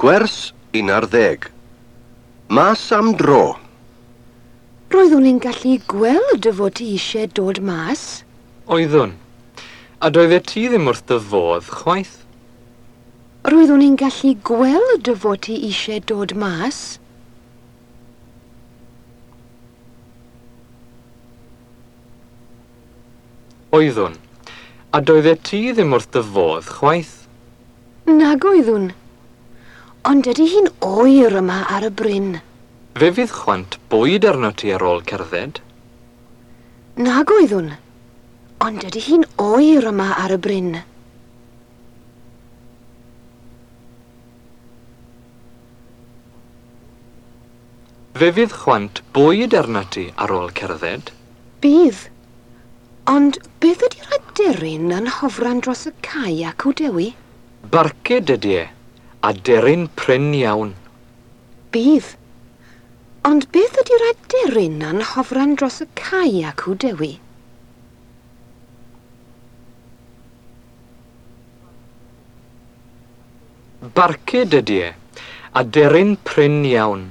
Gwers 11. Mas am dro. Roeddwn i'n gallu gweld dy fod ti eisiau dod mas. Oeddwn. A doeddet ti ddim wrth dy fodd, chwaith. Roeddwn i'n gallu gweld dy fod ti eisiau dod mas. Oeddwn. A doeddet ti ddim wrth dy fodd, chwaith. Nag oeddwn. Ond ydy hi'n oer yma ar y bryn? Fe fydd chwant bwyd arnot ti ar ôl cerdded. Nag oeddwn. Ond ydy hi'n oer yma ar y bryn? Fe fydd chwant bwyd arnot ti ar ôl cerdded. Bydd. Ond beth ydy'r aderyn yn hofran dros y cae acw, Dewi? Barcud ydy e, aderyn prin iawn. Bydd. Ond beth ydy'r aderyn yn hofran dros y cae acw, Dewi? Barcud ydy e, aderyn prin iawn.